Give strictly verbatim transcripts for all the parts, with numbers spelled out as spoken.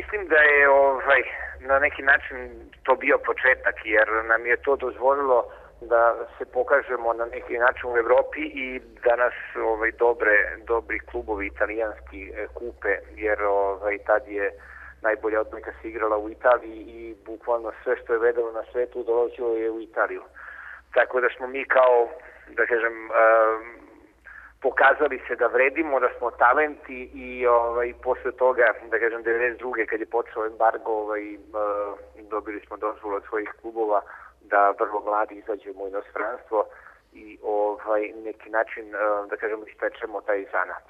mislim da je ovaj, na neki način to bio početak, jer nam je to dozvolilo da se pokažemo na neki način u Evropi i da nas ovaj, dobre, dobri klubovi italijanski kupe, jer ovaj, tad je najbolja odbojka se igrala u Italiji i bukvalno sve što je vedalo na svetu dolazilo je u Italiju. Tako da smo mi kao, da kažem, um, pokazali se da vredimo, da smo talenti i ovaj, posle toga, da kažem, devedeset druge kad je počeo embargo, ovaj, uh, dobili smo dozvolu od svojih klubova da vrlo mladi izađemo u inostranstvo i ovaj, neki način, uh, da kažem, ispečemo taj zanat.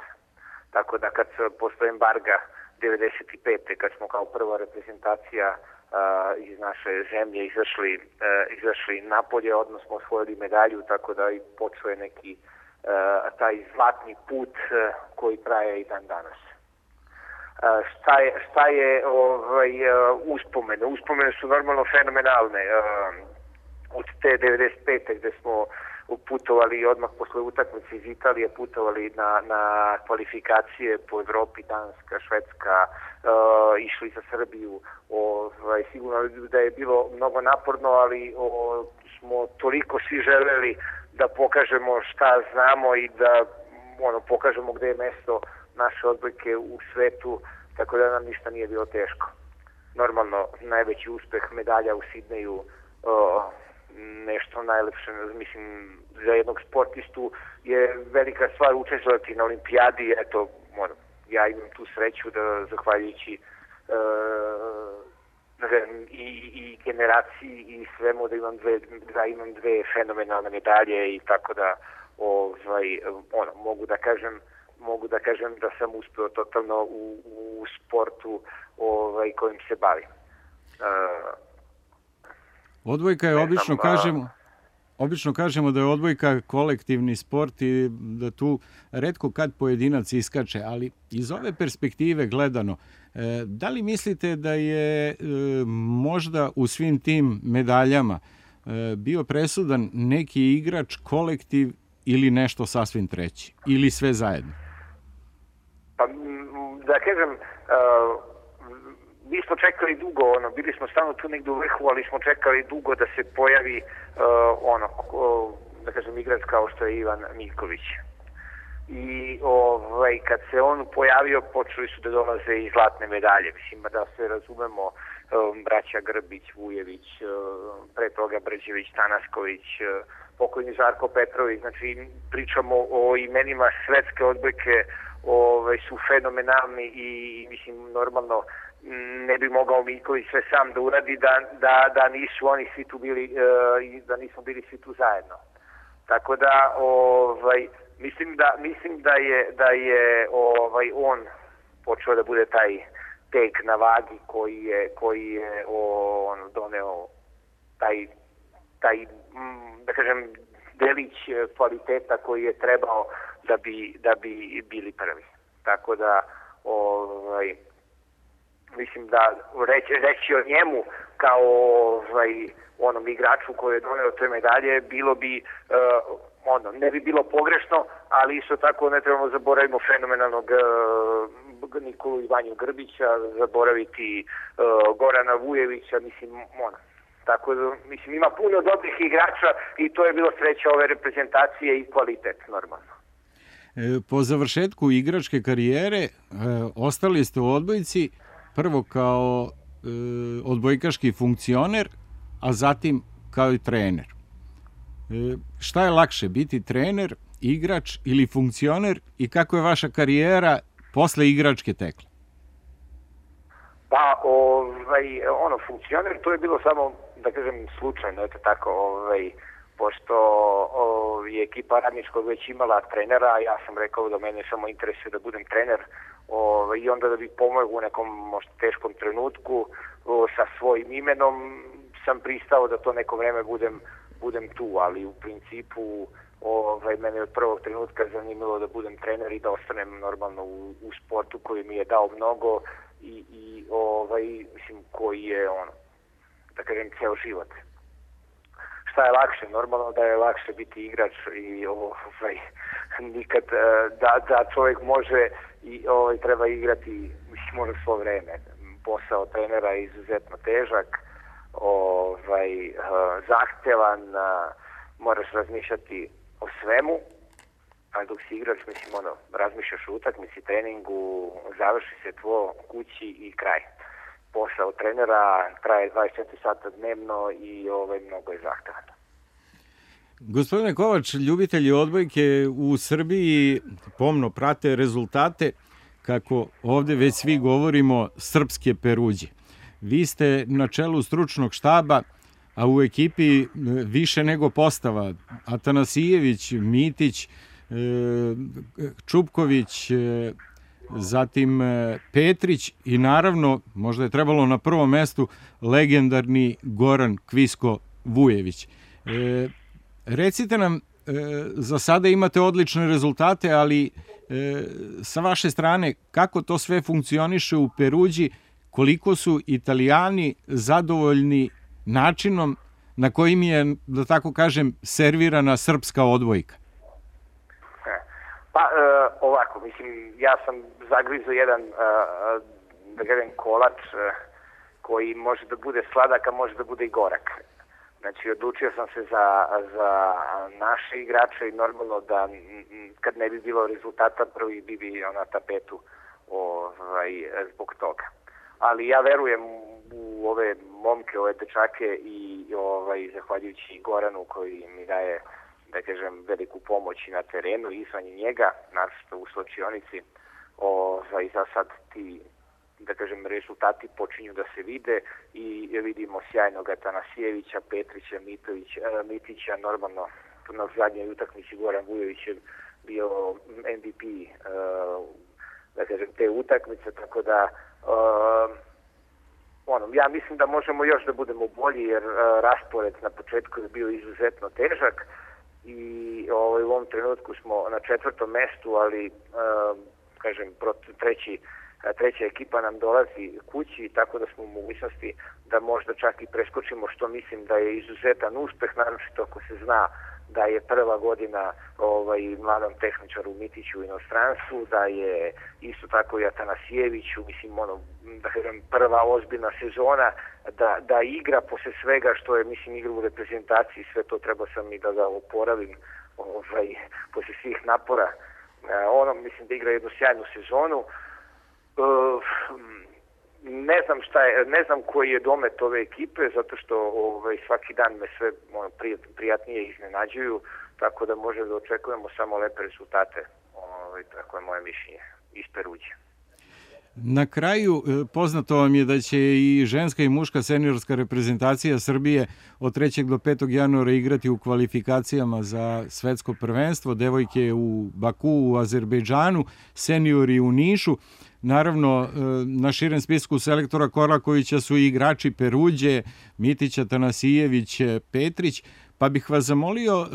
Tako da kad posle embarga devedeset pete kad smo kao prva reprezentacija uh, iz naše zemlje izašli, uh, izašli napolje, odnosno smo osvojili medalju, tako da i počeo je neki uh, taj zlatni put uh, koji traje i dan danas. Uh, šta je, šta je ovaj, uh, uspomene? Uspomene su normalno fenomenalne. Uh, od te devedeset pete gde smo putovali odmah posle utakmice iz Italije, putovali na, na kvalifikacije po Evropi, Danska, Švedska, uh, išli za Srbiju. Ovaj, sigurno da je bilo mnogo naporno, ali o, smo toliko svi želeli da pokažemo šta znamo i da ono, pokažemo gde je mesto naše odbojke u svetu, tako da nam ništa nije bilo teško. Normalno, najveći uspeh medalja u Sidneju, uh, nešto najlepše, mislim, za jednog sportistu je velika stvar učestvovati na olimpijadi. Eto, ono, ja imam tu sreću da, zahvaljujući uh, i, i generaciji i svemu, da imam dve, da imam dve fenomenalne medalje i tako da ovaj, ono, mogu da kažem mogu da kažem da sam uspeo totalno u, u sportu ovaj, kojim se bavim. Uh, Odbojka je, obično kažemo, obično kažemo da je odbojka kolektivni sport i da tu retko kad pojedinac iskače, ali iz ove perspektive gledano, da li mislite da je možda u svim tim medaljama bio presudan neki igrač, kolektiv ili nešto sasvim treći? Ili sve zajedno? Pa, da kažem, uh... mi smo čekali dugo, ono, bili smo stalno tu negdje u vrhu, ali smo čekali dugo da se pojavi uh, ono, uh, da kažem, igrač kao što je Ivan Miljković. I ovaj, kad se on pojavio, počeli su da dolaze i zlatne medalje. Mislim, da se razumemo, um, braća Grbić, Vujević, uh, pre toga Brđević, Tanasković, uh, pokojni Žarko Petrović. Znači, pričamo o imenima svetske odbojke, ovaj, su fenomenalni i, mislim, normalno, ne bi mogao Miljković sve sam da uradi da, da, da nisu oni svi tu bili uh, da nismo bili svi tu zajedno. Tako da ovaj, mislim da mislim da je da je ovaj on počeo da bude taj tek na vagi koji je koji je on doneo taj taj da kažem delić kvaliteta koji je trebao da bi da bi bili prvi. Tako da ovaj mislim da reći, reći o njemu kao ovaj, onom igraču koji je doneo te medalje bilo bi uh, ono, ne bi bilo pogrešno, ali isto tako ne trebamo zaboraviti fenomenalnog uh, Nikolu Ivanju Grbića, zaboraviti uh, Gorana Vujevića, mislim, ono. Tako da, mislim, ima puno dobrih igrača i to je bilo sreća ove reprezentacije i kvalitet, normalno. Po završetku igračke karijere e, ostali ste u odbojci prvo kao e, odbojkaški funkcioner, a zatim kao i trener. E, šta je lakše, biti trener, igrač ili funkcioner i kako je vaša karijera posle igračke tekla? Pa, ovaj, ono, funkcioner, to je bilo samo, da kažem, slučajno, eto tako, ovaj, pošto o, je ekipa Radničkog već imala trenera, ja sam rekao da mene samo interesuje da budem trener o, i onda da bi pomogao u nekom možda teškom trenutku o, sa svojim imenom sam pristao da to neko vreme budem, budem tu, ali u principu ovaj, mene od prvog trenutka zanimalo da budem trener i da ostanem normalno u, u sportu koji mi je dao mnogo i, i ovaj, mislim, koji je ono, da kažem, ceo život. Šta je lakše? Normalno da je lakše biti igrač i ovaj, nikad da, da čovjek može i ovaj, treba igrati, mislim, može svo vreme. posao trenera je izuzetno težak, ovaj, zahtevan, moraš razmišljati o svemu, ali dok si igrač, mislim, ono, razmišljaš o utakmici, treningu, završi se tvo kući i kraj. Posao trenera traje dvadeset četiri sata dnevno i ovaj, mnogo je zahtevan. Gospodine Kovač, ljubitelji odbojke u Srbiji pomno prate rezultate, kako ovde već svi govorimo, srpske Peruđe. Vi ste na čelu stručnog štaba, a u ekipi više nego postava. Atanasijević, Mitić, Čupković, zatim Petrić i naravno, možda je trebalo na prvom mestu, legendarni Goran Kvisko Vujević. Recite nam, za sada imate odlične rezultate, ali sa vaše strane, kako to sve funkcioniše u Peruđi, koliko su Italijani zadovoljni načinom na kojim je, da tako kažem, servirana srpska odbojka? Pa, ovako, mislim, ja sam zagrizao jedan, da kažem, kolač koji može da bude sladak, a može da bude i gorak. Znači, odlučio sam se za, za naše igrače i normalno da kad ne bi bilo rezultata, prvi bi bi na tapetu ovaj, zbog toga. Ali ja verujem u ove momke, ove dečake i ovaj, zahvaljujući Goranu koji mi daje, da kažem, veliku pomoć i na terenu i izvan njega, naravno u slučionici, ovaj, za sad ti, da kažem, rezultati počinju da se vide i vidimo sjajnog Atanasijevića, Petrića, Mitović, Mitića, normalno na zadnjoj utakmici Goran Vujović je bio M V P da kažem, te utakmice, tako da ono, ja mislim da možemo još da budemo bolji jer raspored na početku je bio izuzetno težak i ovaj, u ovom trenutku smo na četvrtom mestu, ali kažem, treći treća ekipa nam dolazi kući, tako da smo u mogućnosti da možda čak i preskočimo, što mislim da je izuzetan uspeh, naročito ako se zna da je prva godina ovaj, mladom tehničaru Mitiću u inostranstvu, da je isto tako i Atanasijeviću, mislim, ono, da kažem, prva ozbiljna sezona, da, da igra posle svega što je, mislim, igra u reprezentaciji, sve to treba sam i da ga oporavim ovaj, posle svih napora. Ono, mislim da igra jednu sjajnu sezonu. Uh, ne znam šta je, ne znam koji je domet ove ekipe, zato što ovaj, svaki dan me sve ono, prijatnije iznenađuju, tako da može da očekujemo samo lepe rezultate. Ovaj, tako je moje mišljenje iz Peruđe. Na kraju, poznato vam je da će i ženska i muška seniorska reprezentacija Srbije od trećeg do petog januara igrati u kvalifikacijama za svetsko prvenstvo, devojke u Baku, u Azerbejdžanu, seniori u Nišu. Naravno, na širem spisku selektora Korakovića su i igrači Peruđe, Mitić, Atanasijević, Petrić, pa bih vas zamolio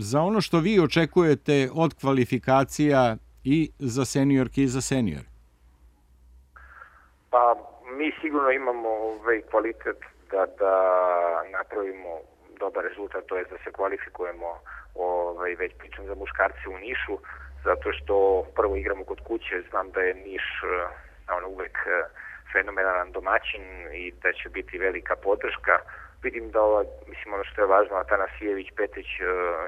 za ono što vi očekujete od kvalifikacija i za seniorke i za senior. Pa mi sigurno imamo ovaj kvalitet da, da napravimo dobar rezultat, to je da se kvalifikujemo, ovaj, već pričam za muškarce u Nišu, zato što prvo igramo kod kuće, znam da je Niš ono, uvek fenomenalan domaćin i da će biti velika podrška. Vidim da ova, mislim, ono što je važno, Atanasijević, Petrić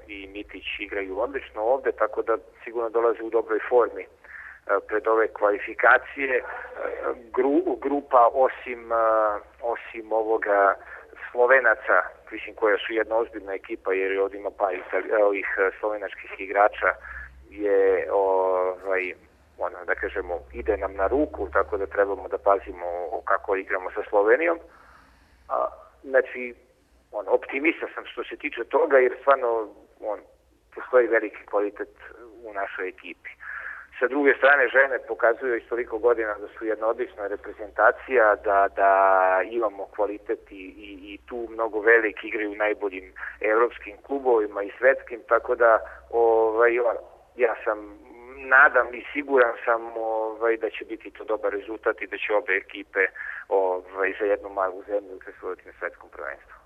i Mitić igraju odlično ovde, tako da sigurno dolaze u dobroj formi pred ove kvalifikacije. Gru, grupa osim, osim ovoga Slovenaca, mislim, koja su jedna ozbiljna ekipa, jer ovdje ima pa ovih slovenačkih igrača, je, ovaj, ono, da kažemo, ide nam na ruku, tako da trebamo da pazimo kako igramo sa Slovenijom. A, znači, on, optimista sam što se tiče toga, jer stvarno on, postoji veliki kvalitet u našoj ekipi. Sa druge strane, žene pokazuju iz toliko godina da su jedna odlična reprezentacija, da, da imamo kvalitet i, i, i tu mnogo veliki igraju u najboljim evropskim klubovima i svetskim, tako da ovaj, ja sam nadam i siguran sam ovaj, da će biti to dobar rezultat i da će obe ekipe ovaj, za jednu malu zemlju učestvovati na svetskom prvenstvu.